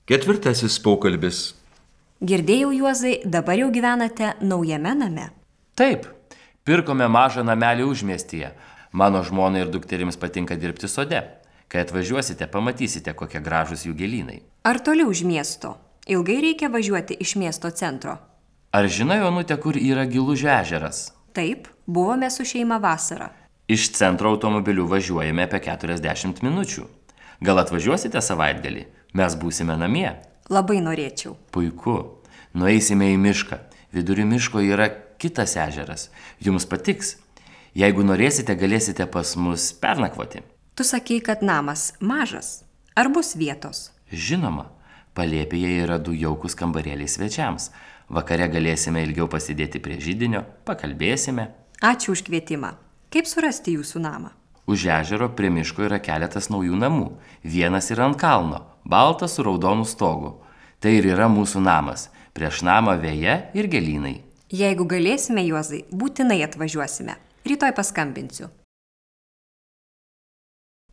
Ketvirtasis pokalbis. Girdėjau, Juozai, dabar jau gyvenate naujame name. Taip, pirkome mažą namelį užmiestyje. Mano žmonai ir dukterims patinka dirbti sode. Kai atvažiuosite, pamatysite, kokie gražūs jų gėlynai. Ar toli už miesto? Ilgai reikia važiuoti iš miesto centro? Ar žinai, Onute, kur yra Gilužio ežeras? Taip, buvome su šeima vasarą. Iš centro automobiliu važiuojame apie 40 minučių. Gal atvažiuosite savaitgalį? Mes būsime namie. Labai norėčiau. Puiku. Nueisime į mišką. Vidury miško yra kitas ežeras. Jums patiks. Jeigu norėsite, galėsite pas mus pernakvoti. Tu sakei, kad namas mažas. Ar bus vietos? Žinoma, palėpėje yra 2 jaukūs kambarėliai svečiams. Vakare galėsime ilgiau pasidėti prie židinio, pakalbėsime. Ačiū už kvietimą. Kaip surasti jūsų namą? Už ežero prie miško yra keletas naujų namų. Vienas yra ant kalno, baltas su raudonu stogu. Tai ir yra mūsų namas. Prieš namą veja ir gėlynai. Jeigu galėsime, Juozai, būtinai atvažiuosime. Rytoj paskambinsiu.